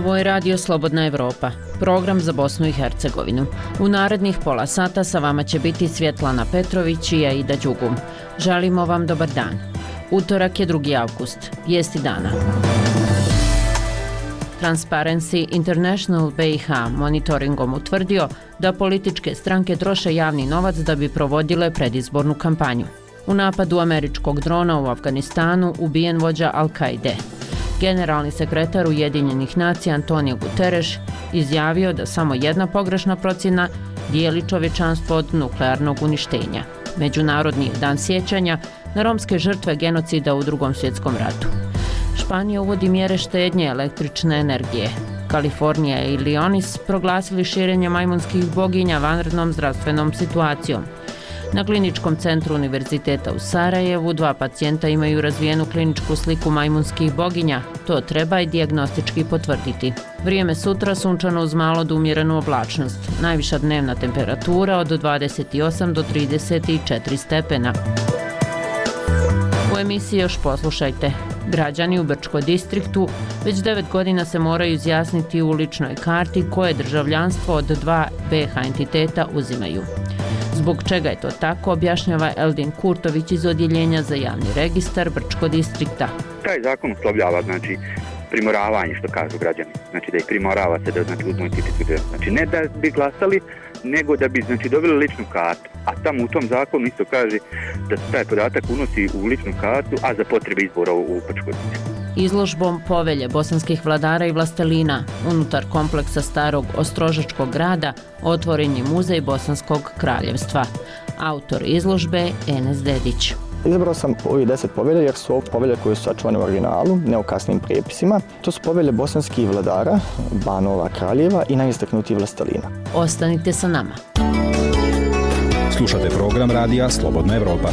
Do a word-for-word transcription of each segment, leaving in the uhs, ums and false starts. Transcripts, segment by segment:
Ovo je Radio Slobodna Evropa, program za Bosnu i Hercegovinu. U narednih pola sata sa vama će biti Svjetlana Petrović i Aida Đugum. Želimo vam dobar dan. Utorak je drugi avgust, vijesti dana. Transparency International B i H monitoringom utvrdio da političke stranke troše javni novac da bi provodile predizbornu kampanju. U napadu američkog drona u Afganistanu ubijen vođa Al-Kaide. Generalni sekretar Ujedinjenih nacija Antonio Guterres izjavio da samo jedna pogrešna procjena dijeli čovječanstvo od nuklearnog uništenja. Međunarodni dan sjećanja na romske žrtve genocida u Drugom svjetskom ratu. Španija uvodi mjere štednje električne energije. Kalifornija i Illinois proglasili širenje majmunskih boginja vanrednom zdravstvenom situacijom. Na kliničkom centru Univerziteta u Sarajevu dva pacijenta imaju razvijenu kliničku sliku majmunskih boginja. To treba i dijagnostički potvrditi. Vrijeme sutra sunčano uz malo do umjerenu oblačnost. Najviša dnevna temperatura od dvadeset osam do trideset četiri stepena. U emisiji još poslušajte. Građani u Brčko distriktu već devet godina se moraju izjasniti u uličnoj karti koje državljanstvo od dva B H entiteta uzimaju. Zbog čega je to tako, objašnjava Eldin Kurtović iz Odjeljenja za javni registar Brčko distrikta. Taj zakon uslovljava, znači, primoravanje, što kažu građani. Znači da ih primorava se da znači, uzmu identitet. Znači ne da bi glasali, nego da bi znači, dobili ličnu kartu. A tamo u tom zakonu isto kaže da se taj podatak unosi u ličnu kartu, a za potrebe izbora u Brčko distriktu. Izložbom Povelje bosanskih vladara i vlastelina unutar kompleksa starog Ostrožačkog grada otvoren je muzej Bosanskog kraljevstva. Autor izložbe Enes Dedić. Izabrao sam ovih deset povelja jer su ovo povelje koje su sačuvane u originalu, ne u kasnim prijepisima. To su povelje bosanskih vladara, banova, kraljeva i najistaknutijih vlastelina. Ostanite sa nama. Slušate program Radija Slobodna Evropa.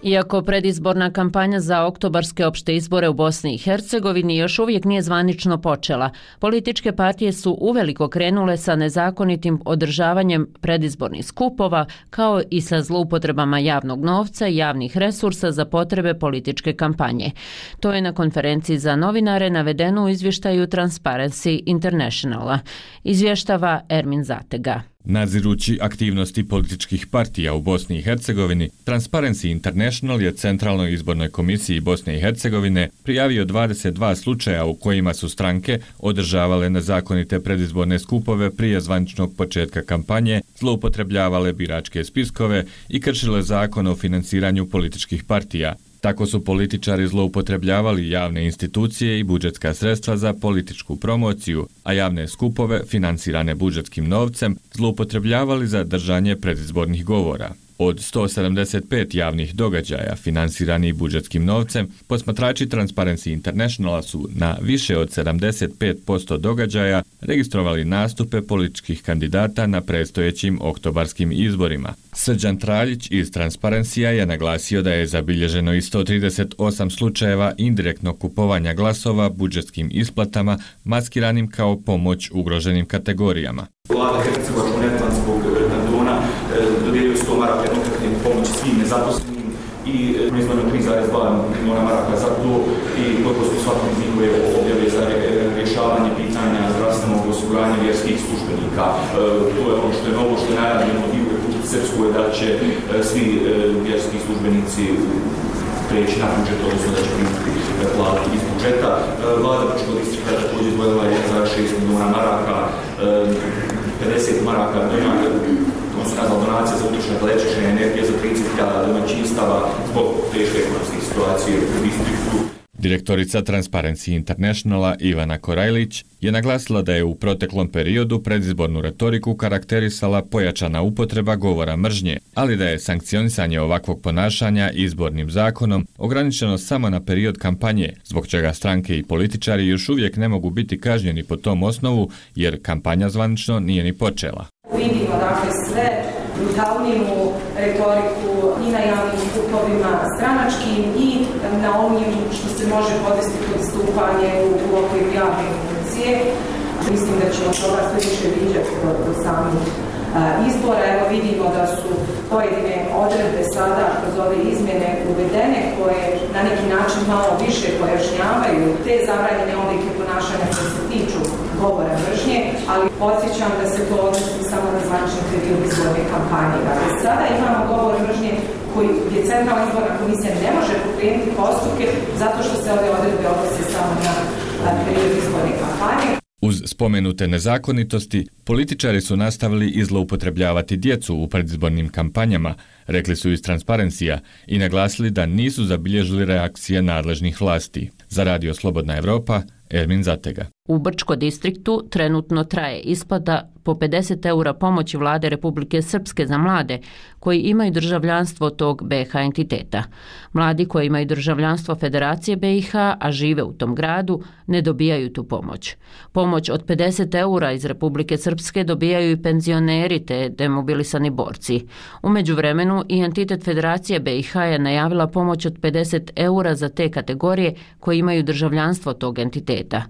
Iako predizborna kampanja za oktobarske opšte izbore u Bosni i Hercegovini još uvijek nije zvanično počela, političke partije su uveliko krenule sa nezakonitim održavanjem predizbornih skupova kao i sa zloupotrebama javnog novca i javnih resursa za potrebe političke kampanje. To je na konferenciji za novinare navedeno u izvještaju Transparency Internationala. Izvještava Ermin Zatega. Nadzirući aktivnosti političkih partija u Bosni i Hercegovini, Transparency International je Centralnoj izbornoj komisiji Bosne i Hercegovine prijavio dvadeset dva slučaja u kojima su stranke održavale nezakonite predizborne skupove prije zvaničnog početka kampanje, zloupotrebljavale biračke spiskove i kršile zakon o financiranju političkih partija. Tako su političari zloupotrebljavali javne institucije i budžetska sredstva za političku promociju, a javne skupove, financirane budžetskim novcem, zloupotrebljavali za držanje predizbornih govora. Od sto sedamdeset pet javnih događaja finansiranih budžetskim novcem, posmatrači Transparency Internationala su na više od sedamdeset pet posto događaja registrovali nastupe političkih kandidata na predstojećim oktobarskim izborima. Srđan Traljić iz Transparencija je naglasio da je zabilježeno i sto trideset osam slučajeva indirektnog kupovanja glasova budžetskim isplatama maskiranim kao pomoć ugroženim kategorijama. Vlada Hercegovačko-neretvanskog kantona dodijelio sto maraka jednokratne pomoći svim nezaposlenim i proizvodno tri zarez dva milijuna maraka za to i koliko su svakom iz njihove objave za rješavanje pitanja zdravstvenog osiguranja vjerskih službenika. To je ono što je novo, što je najavljeno i u Republici Srpskoj da će svi vjerski službenici preći na budžet, odnosno da će primiti platu iz budžeta. Vlada Brčkog distrikta također izdvojila jedan zarez šest milijuna maraka, pedeset maraka donacija za utrošak električne energije za trideset hiljada domaćinstava zbog teške ekonomske situacije u distriktu. Direktorica Transparency Internationala Ivana Korajlić je naglasila da je u proteklom periodu predizbornu retoriku karakterisala pojačana upotreba govora mržnje, ali da je sankcionisanje ovakvog ponašanja izbornim zakonom ograničeno samo na period kampanje, zbog čega stranke i političari još uvijek ne mogu biti kažnjeni po tom osnovu jer kampanja zvanično nije ni počela. Vidimo dakle sve brutalniju retoriku i na javnim skupovima stranačkim i na onim što se može podvesti pod stupanje u, u okviru javne funkcije. Mislim da ćemo toga sve više viđati do, do samih izbora. Evo vidimo da su pojedine odredbe sada kroz ove izmjene uvedene koje na neki način malo više pojašnjavaju te zabranjene oblike ponašanja koje se tiču govora mržnje, ali podsjećam da se to odnosi samo na zvanični period izborne kampanje. Dakle, sada imamo govor mržnje koji je Centralna izborna komisija ne može pokrenuti postupke zato što se ove odredbe odnose samo na period izborne kampanje. Uz spomenute nezakonitosti, političari su nastavili i zloupotrebljavati djecu u predizbornim kampanjama, rekli su iz Transparencija i naglasili da nisu zabilježili reakcije nadležnih vlasti. Za Radio Slobodna Evropa, Ermin Zatega. U Brčko distriktu trenutno traje isplata po pedeset eura pomoći Vlade Republike Srpske za mlade koji imaju državljanstvo tog B i H entiteta. Mladi koji imaju državljanstvo Federacije B i H, a žive u tom gradu, ne dobijaju tu pomoć. Pomoć od pedeset eura iz Republike Srpske dobijaju i penzioneri te demobilisani borci. U međuvremenu i entitet Federacije B i H je najavila pomoć od pedeset eura za te kategorije koji imaju državljanstvo tog entiteta.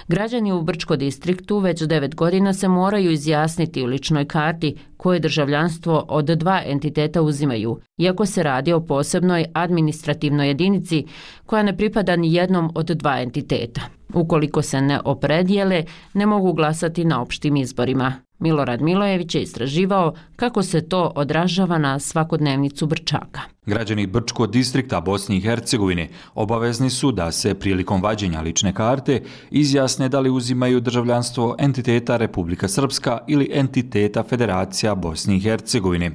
Građani u Brčko distriktu već devet godina se moraju izjasniti u ličnoj karti koje državljanstvo od dva entiteta uzimaju, iako se radi o posebnoj administrativnoj jedinici koja ne pripada ni jednom od dva entiteta. Ukoliko se ne opredijele, ne mogu glasati na opštim izborima. Milorad Milojević je istraživao kako se to odražava na svakodnevnicu Brčaka. Građani Brčko distrikta Bosne i Hercegovine obavezni su da se prilikom vađenja lične karte izjasne da li uzimaju državljanstvo entiteta Republika Srpska ili entiteta Federacija Bosne i Hercegovine.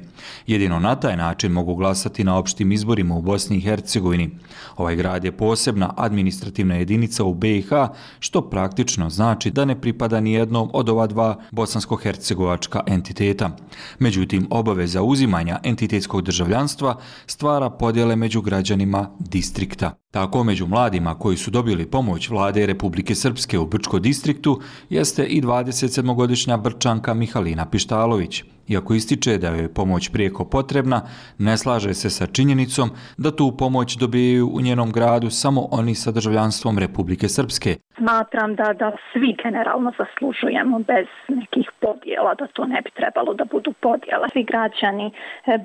Jedino na taj način mogu glasati na opštim izborima u Bosni i Hercegovini. Ovaj grad je posebna administrativna jedinica u B i H, što praktično znači da ne pripada ni jednom od ova dva bosansko-hercegovačka entiteta. Međutim, obaveza uzimanja entitetskog državljanstva stvara podjele među građanima distrikta. Tako među mladima koji su dobili pomoć Vlade Republike Srpske u Brčko distriktu jeste i dvadesetsedmogodišnja Brčanka Mihalina Pištalović. Iako ističe da je pomoć prijeko potrebna, ne slaže se sa činjenicom da tu pomoć dobijaju u njenom gradu samo oni sa državljanstvom Republike Srpske. Smatram da, da svi generalno zaslužujemo bez nekih podjela, da to ne bi trebalo da budu podjela. Svi građani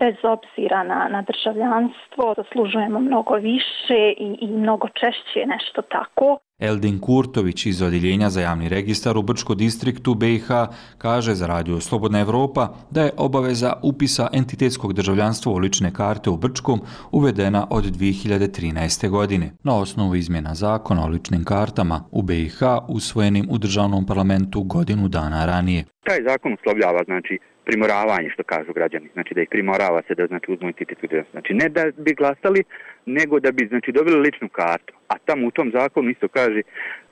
bez obzira na, na državljanstvo zaslužujemo mnogo više i, i mnogo češće nešto tako. Eldin Kurtović iz Odjeljenja za javni registar u Brčko distriktu B i H kaže za Radio Slobodna Evropa da je obaveza upisa entitetskog državljanstva u lične karte u Brčkom uvedena od dvije hiljade trinaeste. godine. Na osnovu izmjena zakona o ličnim kartama u B i H usvojenim u državnom parlamentu godinu dana ranije. Taj zakon uslovljava, znači, primoravanje, što kažu građani, znači da ih primorava se da znači uzmu entitet. Znači ne da bi glasali, nego da bi znači dobili ličnu kartu. A tamo u tom zakonu isto kaže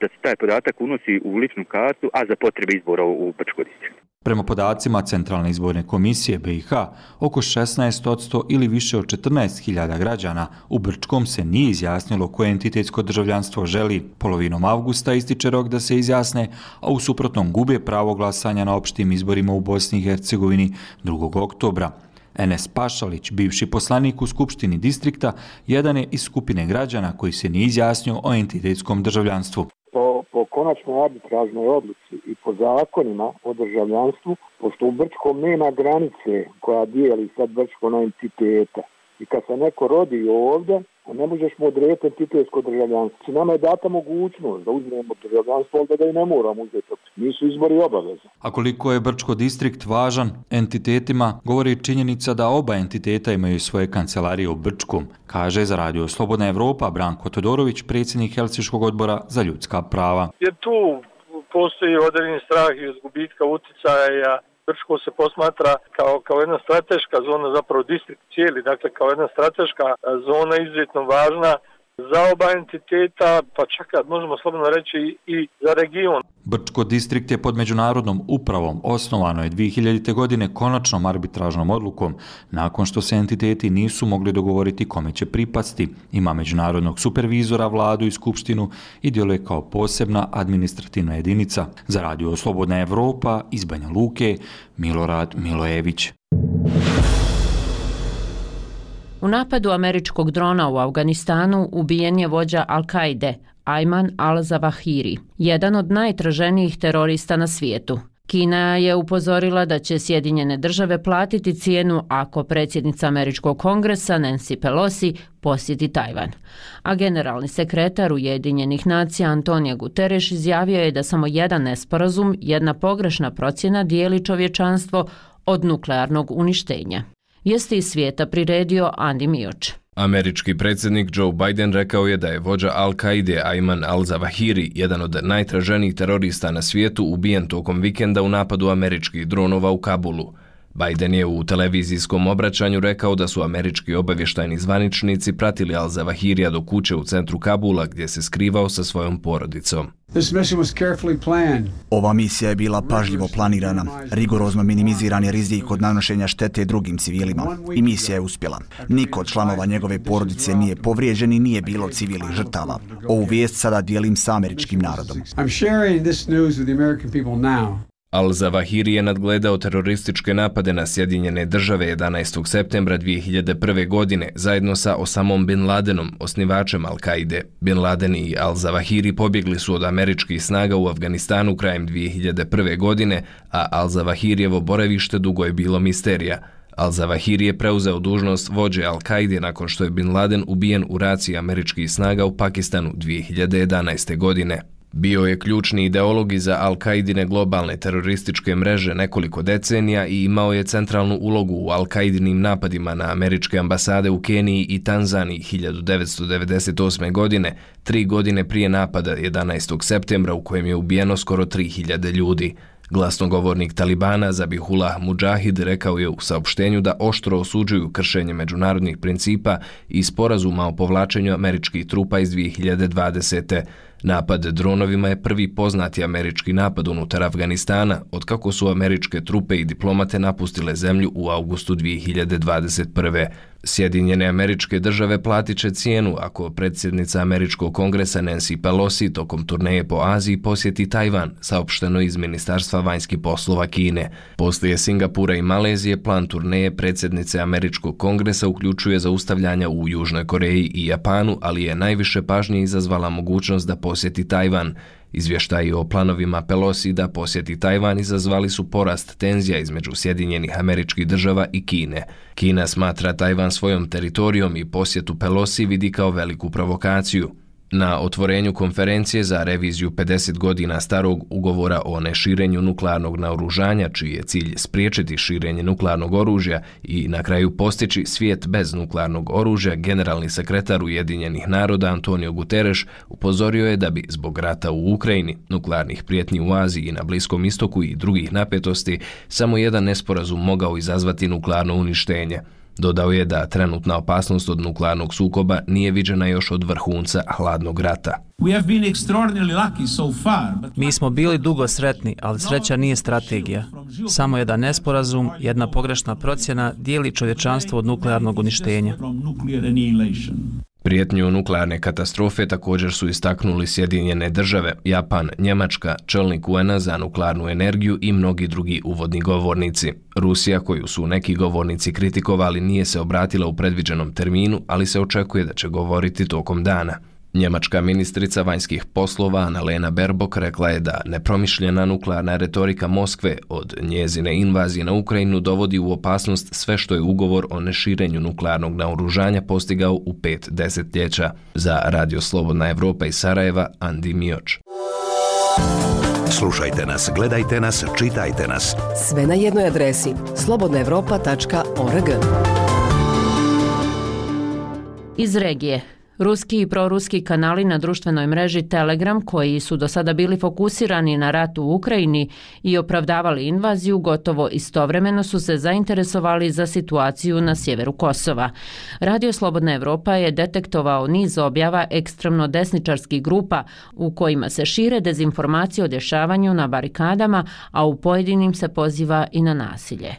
da se taj podatak unosi u ličnu kartu, a za potrebe izbora u Brčko distriktu. Prema podacima Centralne izborne komisije B i H, oko šesnaest posto ili više od četrnaest hiljada građana u Brčkom se nije izjasnilo koje entitetsko državljanstvo želi. Polovinom avgusta ističe rok da se izjasne, a u suprotnom gube pravo glasanja na opštim izborima u Bosni i Hercegovini drugog oktobra. Enes Pašalić, bivši poslanik u Skupštini distrikta, jedan je iz skupine građana koji se nije izjasnio o entitetskom državljanstvu. Po, po konačnoj arbitražnoj odluci i po zakonima o državljanstvu, pošto u Brčkom nema granice koja dijeli sad Brčko na entiteta. I kad se neko rodi ovdje, ne možeš mu odrediti entitetsko državljanstvo. Nama je data mogućnost da uzmemo državljanstvo, ali da i ne moramo uzeti. Nisu izbori obaveze. A koliko je Brčko distrikt važan entitetima, govori činjenica da oba entiteta imaju svoje kancelarije u Brčkom, kaže za Radio Slobodna Evropa Branko Todorović, predsjednik Helsinškog odbora za ljudska prava. Jer tu postoji određeni strah i od gubitka uticaja. Brčko se posmatra kao, kao jedna strateška zona, zapravo distrikt cijeli, dakle kao jedna strateška zona izuzetno važna za oba entiteta, pa čak možemo slobodno reći i za region. Brčko distrikt je pod međunarodnom upravom, osnovano je dvije hiljadite. godine konačnom arbitražnom odlukom, nakon što se entiteti nisu mogli dogovoriti kome će pripasti. Ima međunarodnog supervizora, vladu i skupštinu i djeluje kao posebna administrativna jedinica. Za Radio Slobodna Evropa iz Banja Luke, Milorad Milojević. U napadu američkog drona u Afganistanu ubijen je vođa Al-Kaide, Ayman al-Zawahiri, jedan od najtraženijih terorista na svijetu. Kina je upozorila da će Sjedinjene države platiti cijenu ako predsjednica Američkog kongresa Nancy Pelosi posjeti Tajvan. A generalni sekretar Ujedinjenih nacija Antonio Guterres izjavio je da samo jedan nesporazum, jedna pogrešna procjena dijeli čovječanstvo od nuklearnog uništenja. Jeste iz svijeta priredio Andi Mioč. Američki predsjednik Joe Biden rekao je da je vođa Al-Kaide Ayman al-Zawahiri, jedan od najtraženijih terorista na svijetu, ubijen tokom vikenda u napadu američkih dronova u Kabulu. Biden je u televizijskom obraćanju rekao da su američki obavještajni zvaničnici pratili al-Zawahirija do kuće u centru Kabula gdje se skrivao sa svojom porodicom. Ova misija je bila pažljivo planirana, rigorozno minimiziran je rizik od nanošenja štete drugim civilima i misija je uspjela. Niko od članova njegove porodice nije povrijeđen i nije bilo civilnih žrtava. Ovu vijest sada dijelim sa američkim narodom. Al-Zawahiri je nadgledao terorističke napade na Sjedinjene države jedanaestog septembra dvije hiljade prve. godine zajedno sa Osamom Bin Ladenom, osnivačem Al-Kaide. Bin Laden i Al-Zawahiri pobjegli su od američkih snaga u Afganistanu krajem dvije hiljade prve. godine, a Al-Zawahirijevo boravište dugo je bilo misterija. Al-Zawahiri je preuzeo dužnost vođe Al-Kaide nakon što je Bin Laden ubijen u raciji američkih snaga u Pakistanu dvije hiljade jedanaeste. godine. Bio je ključni ideolog iza Al-Kaidine globalne terorističke mreže nekoliko decenija i imao je centralnu ulogu u Al-Kaidinim napadima na američke ambasade u Keniji i Tanzaniji hiljadu devetsto devedeset osme. godine, tri godine prije napada jedanaestog septembra u kojem je ubijeno skoro tri hiljade ljudi. Glasnogovornik Talibana Zabihullah Mujahid rekao je u saopštenju da oštro osuđuju kršenje međunarodnih principa i sporazuma o povlačenju američkih trupa iz dvije hiljade dvadesete. Napad dronovima je prvi poznati američki napad unutar Afganistana, otkako su američke trupe i diplomate napustile zemlju u avgustu dvije hiljade dvadeset prve. Sjedinjene američke države platit će cijenu ako predsjednica američkog kongresa Nancy Pelosi tokom turneje po Aziji posjeti Tajvan, saopšteno iz Ministarstva vanjskih poslova Kine. Poslije Singapura i Malezije, plan turneje predsjednice američkog kongresa uključuje zaustavljanja u Južnoj Koreji i Japanu, ali je najviše pažnje izazvala mogućnost da posjeti Tajvan. Izvještaji o planovima Pelosi da posjeti Tajvan izazvali su porast tenzija između Sjedinjenih Američkih Država i Kine. Kina smatra Tajvan svojom teritorijom i posjetu Pelosi vidi kao veliku provokaciju. Na otvorenju konferencije za reviziju pedeset godina starog ugovora o neširenju nuklearnog naoružanja, čiji je cilj spriječiti širenje nuklearnog oružja i na kraju postići svijet bez nuklearnog oružja, generalni sekretar Ujedinjenih naroda Antonio Guterres upozorio je da bi zbog rata u Ukrajini, nuklearnih prijetnji u Aziji i na Bliskom istoku i drugih napetosti, samo jedan nesporazum mogao izazvati nuklearno uništenje. Dodao je da trenutna opasnost od nuklearnog sukoba nije viđena još od vrhunca hladnog rata. Mi smo bili dugo sretni, ali sreća nije strategija. Samo jedan nesporazum, jedna pogrešna procjena dijeli čovječanstvo od nuklearnog uništenja. Prijetnju nuklearne katastrofe također su istaknuli Sjedinjene države, Japan, Njemačka, čelnik U N A za nuklearnu energiju i mnogi drugi uvodni govornici. Rusija, koju su neki govornici kritikovali, nije se obratila u predviđenom terminu, ali se očekuje da će govoriti tokom dana. Njemačka ministrica vanjskih poslova Annalena Baerbock rekla je da nepromišljena nuklearna retorika Moskve od njezine invazije na Ukrajinu dovodi u opasnost sve što je ugovor o neširenju nuklearnog naoružanja postigao u pet desetljeća. Za Radio Slobodna Evropa iz Sarajeva, Andi Mioč. Slušajte nas, gledajte nas, čitajte nas. Sve na jednoj adresi slobodna evropa tačka org. Iz regije. Ruski i proruski kanali na društvenoj mreži Telegram, koji su do sada bili fokusirani na rat u Ukrajini i opravdavali invaziju, gotovo istovremeno su se zainteresovali za situaciju na sjeveru Kosova. Radio Slobodna Evropa je detektovao niz objava ekstremno desničarskih grupa u kojima se šire dezinformacije o dešavanju na barikadama, a u pojedinim se poziva i na nasilje.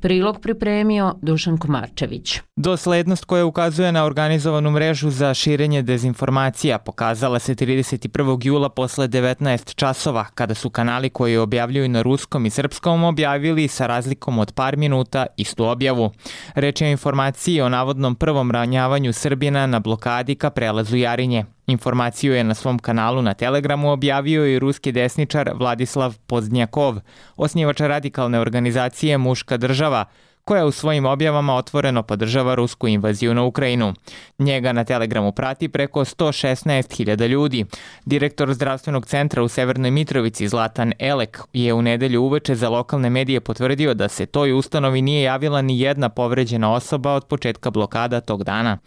Prilog pripremio Dušan Komarčević. Doslednost koja ukazuje na organizovanu mrežu za širenje dezinformacija pokazala se trideset prvog jula posle devetnaest časova, kada su kanali koji objavljuju na ruskom i srpskom objavili sa razlikom od par minuta istu objavu. Reč je o informaciji o navodnom prvom ranjavanju Srbina na blokadi ka prelazu Jarinje. Informaciju je na svom kanalu na Telegramu objavio i ruski desničar Vladislav Pozdnjakov, osnivač radikalne organizacije Muška država, koja u svojim objavama otvoreno podržava rusku invaziju na Ukrajinu. Njega na Telegramu prati preko sto šesnaest hiljada ljudi. Direktor zdravstvenog centra u Severnoj Mitrovici Zlatan Elek je u nedelju uveče za lokalne medije potvrdio da se toj ustanovi nije javila ni jedna povređena osoba od početka blokada tog dana.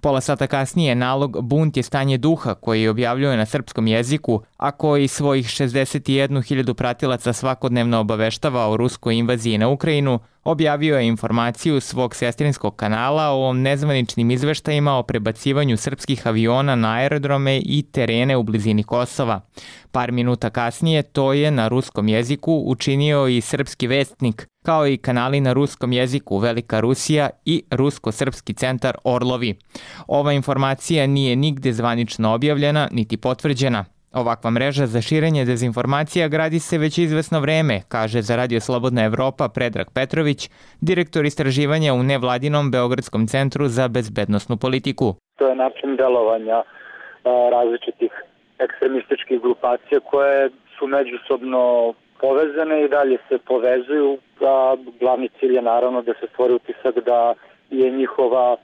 Pola sata kasnije nalog Bunt je stanje duha koji objavljuje na srpskom jeziku, a koji svojih šezdeset jednu hiljadu pratilaca svakodnevno obaveštava o ruskoj invaziji na Ukrajinu, objavio je informaciju svog sestrinskog kanala o nezvaničnim izveštajima o prebacivanju srpskih aviona na aerodrome i terene u blizini Kosova. Par minuta kasnije to je na ruskom jeziku učinio i srpski vestnik, kao i kanali na ruskom jeziku Velika Rusija i Rusko-srpski centar Orlovi. Ova informacija nije nigde zvanično objavljena niti potvrđena. Ovakva mreža za širenje dezinformacija gradi se već izvesno vreme, kaže za Radio Slobodna Evropa Predrag Petrović, direktor istraživanja u nevladinom Beogradskom centru za bezbednosnu politiku. To je način delovanja a, različitih ekstremističkih grupacija koje su međusobno povezane i dalje se povezuju, a glavni cilj je naravno da se stvori utisak da je njihova a,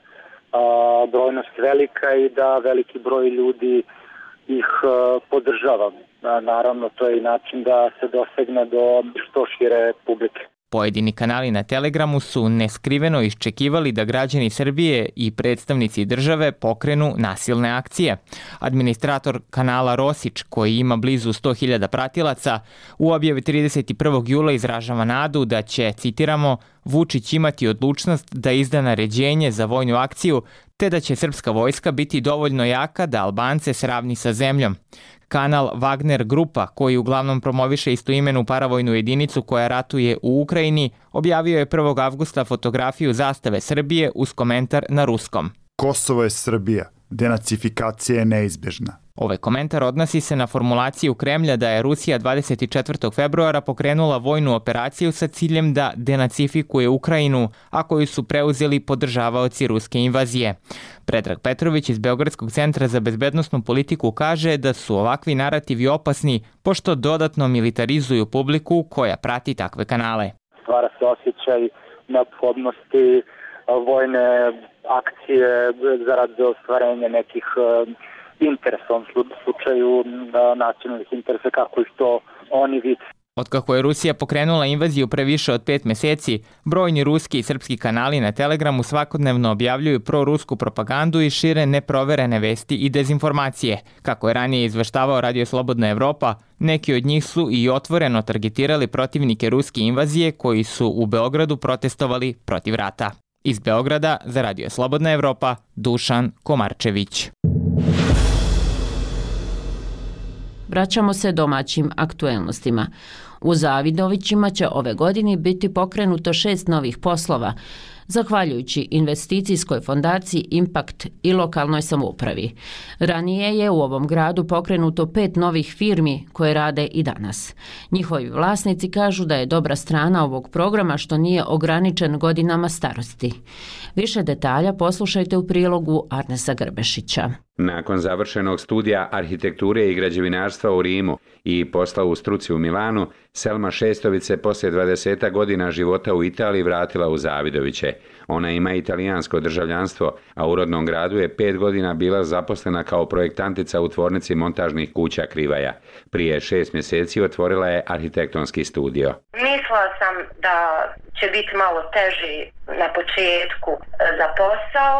brojnost velika i da veliki broj ljudi ih a, podržava. A, naravno, to je i način da se dosegne do što šire publike. Pojedini kanali na Telegramu su neskriveno iščekivali da građani Srbije i predstavnici države pokrenu nasilne akcije. Administrator kanala Rosić, koji ima blizu sto hiljada pratilaca, u objavi trideset prvog jula izražava nadu da će, citiramo, Vučić imati odlučnost da izda naređenje za vojnu akciju, te da će srpska vojska biti dovoljno jaka da Albance sravni sa zemljom. Kanal Wagner Grupa, koji uglavnom promoviše istoimenu paravojnu jedinicu koja ratuje u Ukrajini, objavio je prvog avgusta fotografiju zastave Srbije uz komentar na ruskom. Kosovo je Srbija, denacifikacija je neizbežna. Ovaj komentar odnosi se na formulaciju Kremlja da je Rusija dvadeset četvrtog februara pokrenula vojnu operaciju sa ciljem da denacifikuje Ukrajinu, a koju su preuzeli podržavaoci ruske invazije. Predrag Petrović iz Beogradskog centra za bezbednosnu politiku kaže da su ovakvi narativi opasni pošto dodatno militarizuju publiku koja prati takve kanale. Stvara se osjećaj neophodnosti vojne akcije zarad ostvarenja nekih interesa, u slučaju nacionalnih interesa, kako ih to oni vide. Otkako je Rusija pokrenula invaziju pre više od pet meseci, brojni ruski i srpski kanali na Telegramu svakodnevno objavljuju prorusku propagandu i šire neproverene vesti i dezinformacije. Kako je ranije izveštavao Radio Slobodna Evropa, neki od njih su i otvoreno targetirali protivnike ruske invazije koji su u Beogradu protestovali protiv rata. Iz Beograda za Radio Slobodna Evropa, Dušan Komarčević. Vraćamo se domaćim aktuelnostima. U Zavidovićima će ove godine biti pokrenuto šest novih poslova, zahvaljujući investicijskoj fondaciji Impact i lokalnoj samoupravi. Ranije je u ovom gradu pokrenuto pet novih firmi koje rade i danas. Njihovi vlasnici kažu da je dobra strana ovog programa što nije ograničen godinama starosti. Više detalja poslušajte u prilogu Arnesa Grbešića. Nakon završenog studija arhitekture i građevinarstva u Rimu i posla u struci u Milanu, Selma Šestović se poslije dvadeset godina života u Italiji vratila u Zavidoviće. Ona ima italijansko državljanstvo, a u rodnom gradu je pet godina bila zaposlena kao projektantica u tvornici montažnih kuća Krivaja. Prije šest mjeseci otvorila je arhitektonski studio. Mislila sam da će biti malo teži na početku za posao,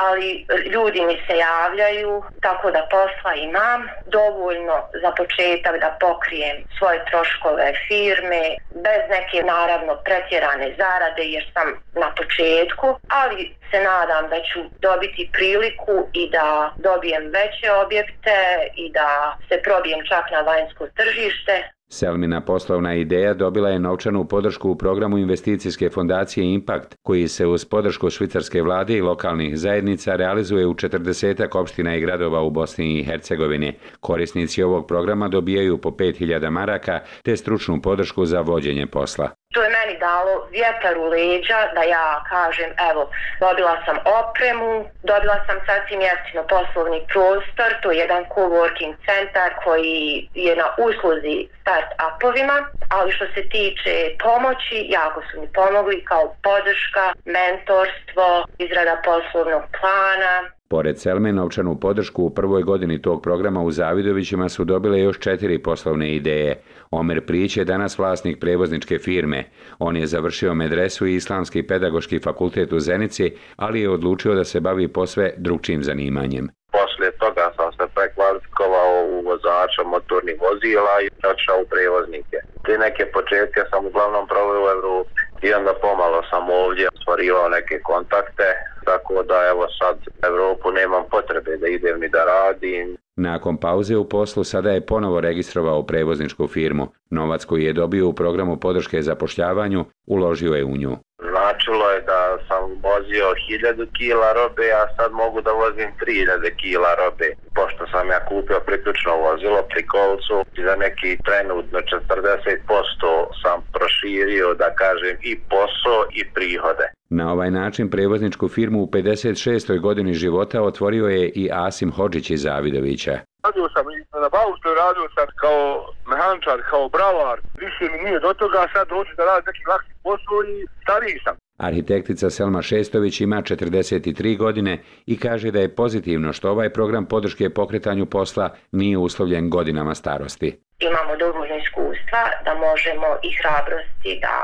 ali ljudi mi se javljaju, tako da posla imam dovoljno za početak da pokrijem svoje troškove firme, bez neke naravno pretjerane zarade jer sam na početku, ali se nadam da ću dobiti priliku i da dobijem veće objekte i da se probijem čak na vanjsko tržište. Selmina poslovna ideja dobila je novčanu podršku u programu investicijske fondacije Impact, koji se uz podršku švicarske vlade i lokalnih zajednica realizuje u četrdesetak opština i gradova u Bosni i Hercegovini. Korisnici ovog programa dobijaju po pet hiljada maraka te stručnu podršku za vođenje posla. to je meni dalo vjetar u leđa da ja kažem, evo, dobila sam opremu, dobila sam sasvim jeftino poslovni prostor, to je jedan coworking centar koji je na usluzi start-upovima, ali što se tiče pomoći, jako su mi pomogli kao podrška, mentorstvo, izrada poslovnog plana. Pored Selme, novčanu podršku u prvoj godini tog programa u Zavidovićima su dobile još četiri poslovne ideje. Omer Prić je danas vlasnik prevozničke firme. On je završio medresu i Islamski pedagoški fakultet u Zenici, ali je odlučio da se bavi posve drugčijim zanimanjem. Poslije toga sam se prekvalifikovao u vozača motornih vozila i otišao u prevoznike. Te neke početke sam uglavnom proveo u Evropi i onda pomalo sam ovdje stvarivao neke kontakte, tako da evo sad Evropu nemam potrebe da idem ni da radim. Nakon pauze u poslu sada je ponovo registrovao prevozničku firmu. Novac koji je dobio u programu podrške zapošljavanju uložio je u nju. Značilo je da sam vozio hiljadu kila robe, a sad mogu da vozim tri hiljade kila robe. Pošto sam ja kupio priključno vozilo pri kolcu, za neki trenutno četrdeset posto sam proširio, da kažem, i posao i prihode. Na ovaj način prevozničku firmu u pedeset šestoj godini života otvorio je i Asim Hodžić iz Zavidovića. Radio sam i na Bauštoj, radio sam kao mehančar, kao bravar. Više mi nije do toga, sad hoću da radim neki lakši posao i stariji sam. Arhitektica Selma Šestović ima četrdeset tri godine i kaže da je pozitivno što ovaj program podrške pokretanju posla nije uslovljen godinama starosti. Imamo dovoljno iskustva da možemo i hrabrosti da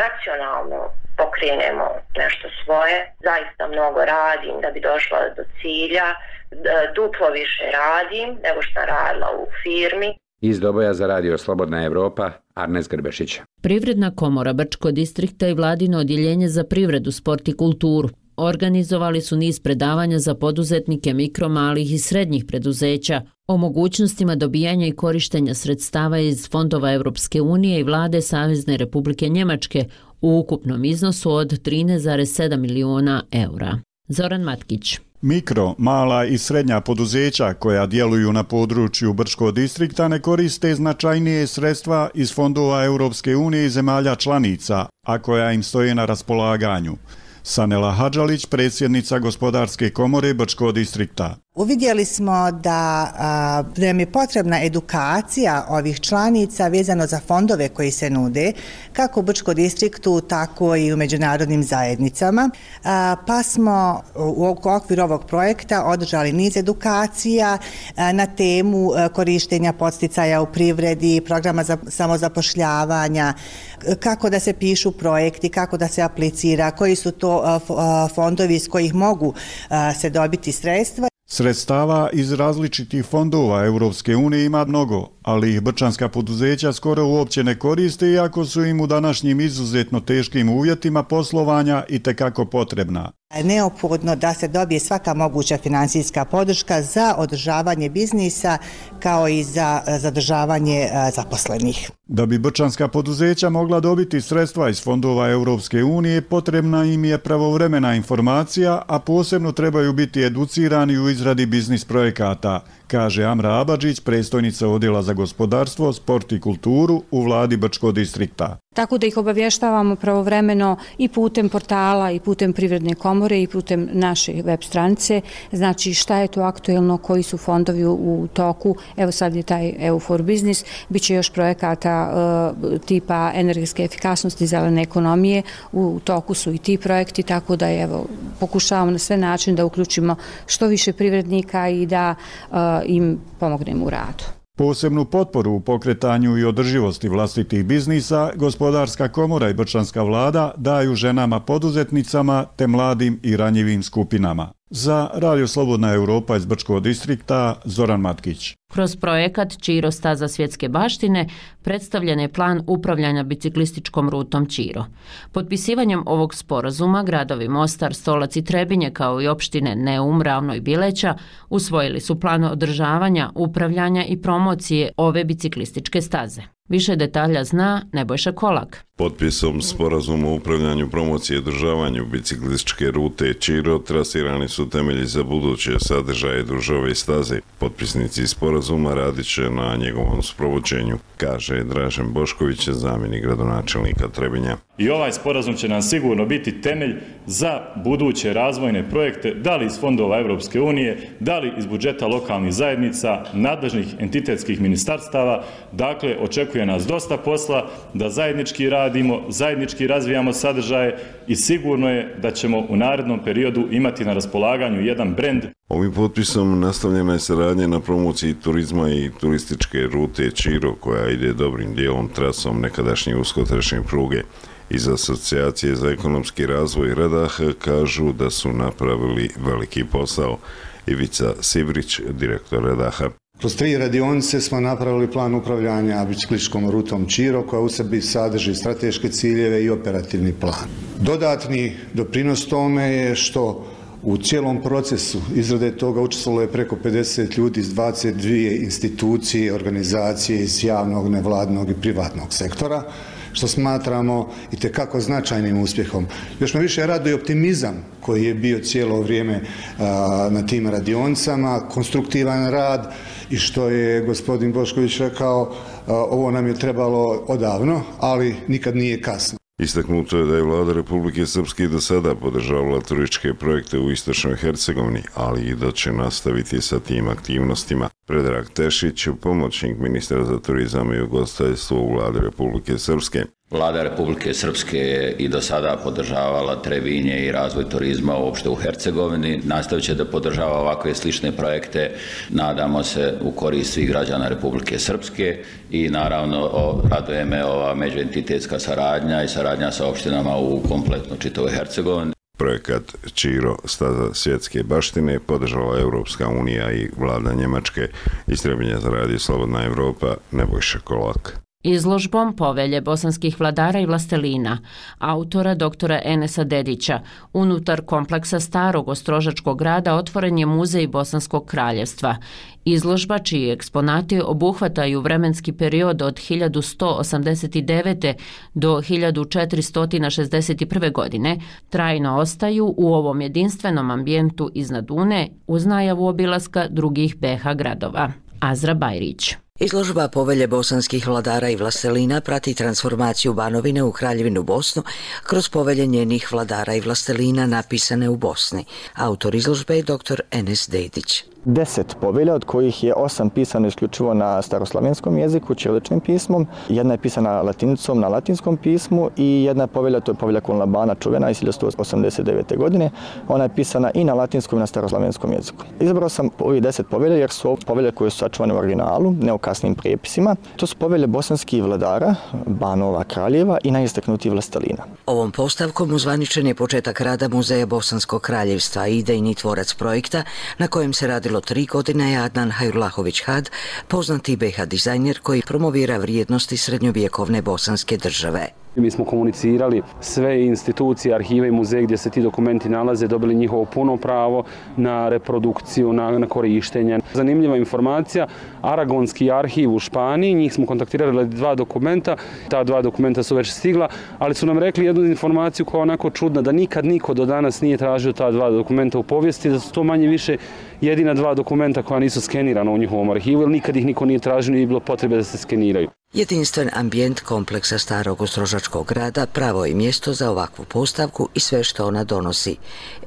racionalno pokrenemo nešto svoje. Zaista mnogo radim da bi došla do cilja, duplo više radim nego što sam radila u firmi. Iz Doboja za radio Slobodna Evropa, Arnes Grbešić. Privredna komora Brčko distrikta i vladino odjeljenje za privredu, sport i kulturu organizovali su niz predavanja za poduzetnike mikro, malih i srednjih preduzeća o mogućnostima dobijanja i korištenja sredstava iz fondova Europske unije i vlade Savezne Republike Njemačke u ukupnom iznosu od trinaest zarez sedam miliona eura. Zoran Matkić. Mikro, mala i srednja poduzeća koja djeluju na području Brčkog distrikta ne koriste značajnije sredstva iz fondova Europske unije i zemalja članica, a koja im stoje na raspolaganju. Sanela Hadžalić, predsjednica Gospodarske komore Brčkog distrikta. Uvidjeli smo da, a, da nam je potrebna edukacija ovih članica vezano za fondove koji se nude, kako u Brčkom distriktu, tako i u međunarodnim zajednicama. A, pa smo u okviru ovog projekta održali niz edukacija a, na temu a, korištenja podsticaja u privredi, programa za samozapošljavanja, kako da se pišu projekti, kako da se aplicira, koji su to a, a, fondovi iz kojih mogu a, se dobiti sredstva. Sredstava iz različitih fondova Europske unije ima mnogo, ali ih brčanska poduzeća skoro uopće ne koriste, iako su im u današnjim izuzetno teškim uvjetima poslovanja itekako potrebna. Neophodno da se dobije svaka moguća financijska podrška za održavanje biznisa kao i za zadržavanje zaposlenih. Da bi brčanska poduzeća mogla dobiti sredstva iz fondova Europske unije, potrebna im je pravovremena informacija, a posebno trebaju biti educirani u izradi biznis projekata, kaže Amra Abadžić, predstojnica Odjela za gospodarstvo, sport i kulturu u vladi Brčkog distrikta. Tako da ih obavještavamo pravovremeno i putem portala i putem privredne komore i putem naše web stranice. Znači šta je to aktuelno, koji su fondovi u toku. Evo sad je taj E U for Business, bit će još projekata uh, tipa energetske efikasnosti, zelene ekonomije. U toku su i ti projekti, tako da evo, pokušavamo na sve način da uključimo što više privrednika i da uh, im pomognemo u radu. Posebnu potporu u pokretanju i održivosti vlastitih biznisa, Gospodarska komora i brčanska vlada daju ženama poduzetnicama te mladim i ranjivim skupinama. Za Radio Slobodna Evropa iz Brčkog distrikta, Zoran Matkić. Kroz projekat Čiro staza svjetske baštine predstavljen je plan upravljanja biciklističkom rutom Čiro. Potpisivanjem ovog sporazuma gradovi Mostar, Stolac i Trebinje kao i opštine Neum, Ravno i Bileća usvojili su plan održavanja, upravljanja i promocije ove biciklističke staze. Više detalja zna Nebojša Kolak. Potpisom sporazuma o upravljanju promocije i održavanju biciklističke rute Čiro trasirani su temelji za buduće sadržaje družove i staze. Potpisnici sporazuma radit će na njegovom sprovođenju, kaže Dražen Bošković, zamjenik gradonačelnika Trebinja. I ovaj sporazum će nam sigurno biti temelj za buduće razvojne projekte, da li iz fondova Europske unije, da li iz budžeta lokalnih zajednica, nadležnih entitetskih ministarstava. Dakle, očekuje nas dosta posla da zajednički radimo, zajednički razvijamo sadržaje i sigurno je da ćemo u narednom periodu imati na raspolaganju jedan brend. Ovim potpisom nastavljena je saradnja na promociji turizma i turističke rute Čiro, koja ide dobrim dijelom trasom nekadašnje uskotračne pruge. Iz Asocijacije za ekonomski razvoj Radah kažu da su napravili veliki posao. Ivica Sibrić, direktor Radaha. Kroz tri radionice smo napravili plan upravljanja biciklističkom rutom Čiro, koja u sebi sadrži strateške ciljeve i operativni plan. Dodatni doprinos tome je što u cijelom procesu izrade toga učestvovalo je preko pedeset ljudi iz dvadeset dvije institucije, organizacije iz javnog, nevladnog i privatnog sektora, što smatramo itekako značajnim uspjehom. Još me više raduje optimizam koji je bio cijelo vrijeme a, na tim radionicama, konstruktivan rad i što je gospodin Bošković rekao, a, ovo nam je trebalo odavno, ali nikad nije kasno. Istaknuto je da je vlada Republike Srpske do sada podržavala turističke projekte u istočnoj Hercegovini, ali i da će nastaviti sa tim aktivnostima. Predrag Tešić, pomoćnik ministra za turizam i ugostiteljstvo u vladi Republike Srpske. Vlada Republike Srpske je i do sada podržavala Trebinje i razvoj turizma uopšte u Hercegovini. Nastavit će da podržava ovakve slične projekte, nadamo se u korist svih građana Republike Srpske i naravno raduje me ova međuentitetska saradnja i saradnja sa opštinama u kompletno čitavoj Hercegovini. Projekat Čiro, staza svjetske baštine, podržala Europska unija i vlada Njemačke. Iz Trebinja za radio Slobodna Evropa, Nebojša Kolak. Izložbom Povelje bosanskih vladara i vlastelina, autora doktora Enesa Dedića, unutar kompleksa starog ostrožačkog grada otvoren je Muzej Bosanskog kraljevstva. Izložba, čiji eksponati obuhvataju vremenski period od hiljadu sto osamdeset devete. do hiljadu četiristo šezdeset prve. godine, trajno ostaju u ovom jedinstvenom ambijentu iznad Une uz najavu obilaska drugih B iH gradova. Azra Bajrić. Izložba Povelje bosanskih vladara i vlastelina prati transformaciju Banovine u Kraljevinu Bosnu kroz povelje njenih vladara i vlastelina napisane u Bosni. Autor izložbe je doktor Enes Dedić. Deset povelja, od kojih je osam pisano isključivo na staroslavenskom jeziku, ćiriličnim pismom, jedna je pisana latinicom na latinskom pismu i jedna povelja, to je povelja Konlabana čuvena iz hiljadu sto osamdeset devete. godine, ona je pisana i na latinskom i na staroslavenskom jeziku. Izabrao sam ovih deset povelja jer su povelje koje su sačuvane u originalu, ne u kasnim prijepisima. To su povelje bosanskih vladara, banova, kraljeva i najistaknutijih vlastelina. Ovom postavkom uzvaničen je početak rada Muzeja Bosanskog kraljevstva, idejni tvorac projekta na kojem se radi tri godine je Adnan Hajrullahović Had, poznati B iH dizajner koji promovira vrijednosti srednjovjekovne bosanske države. Mi smo komunicirali sve institucije, arhive i muzeje gdje se ti dokumenti nalaze, dobili njihovo puno pravo na reprodukciju, na, na korištenje. Zanimljiva informacija, Aragonski arhiv u Španiji, njih smo kontaktirali dva dokumenta, ta dva dokumenta su već stigla, ali su nam rekli jednu informaciju koja je onako čudna, da nikad niko do danas nije tražio ta dva dokumenta u povijesti, da su to manje više jedina dva dokumenta koja nisu skenirana u njihovom arhivu, jer nikad ih niko nije tražio, nije bilo potrebe da se skeniraju. Jedinstven ambijent kompleksa starog ostrožačkog grada pravo je mjesto za ovakvu postavku i sve što ona donosi.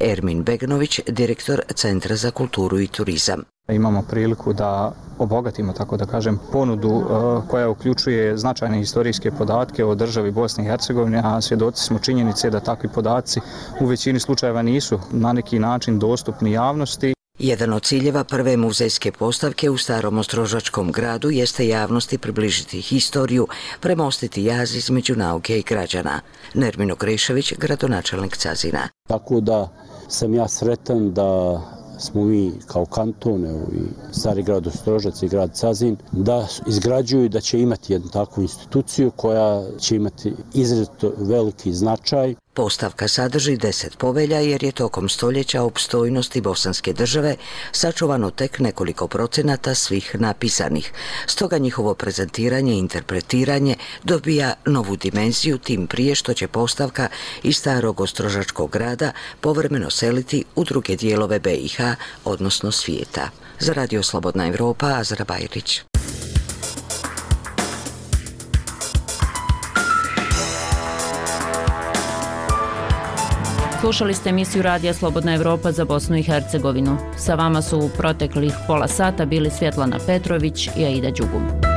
Ermin Begnović, direktor Centra za kulturu i turizam. Imamo priliku da obogatimo, tako da kažem, ponudu koja uključuje značajne historijske podatke o državi Bosne i Hercegovine, a svjedoci smo činjenice da takvi podaci u većini slučajeva nisu na neki način dostupni javnosti. Jedan od ciljeva prve muzejske postavke u starom ostrožačkom gradu jeste javnosti približiti historiju, premostiti jaz između nauke i građana. Nermino Grešević, gradonačelnik Cazina. Tako da sam ja sretan da smo mi kao kanton i stari grad Ostrožac i grad Cazin da izgrađuju i da će imati jednu takvu instituciju koja će imati izrazito veliki značaj. Postavka sadrži deset povelja jer je tokom stoljeća opstojnosti bosanske države sačuvano tek nekoliko procenata svih napisanih. Stoga njihovo prezentiranje i interpretiranje dobija novu dimenziju, tim prije što će postavka iz starog ostrožačkog grada povremeno seliti u druge dijelove B i H, odnosno svijeta. Za Radio Slobodna Evropa, Azra Bajrić. Slušali ste emisiju Radija Slobodna Evropa za Bosnu i Hercegovinu. Sa vama su u proteklih pola sata bili Svjetlana Petrović i Aida Đugum.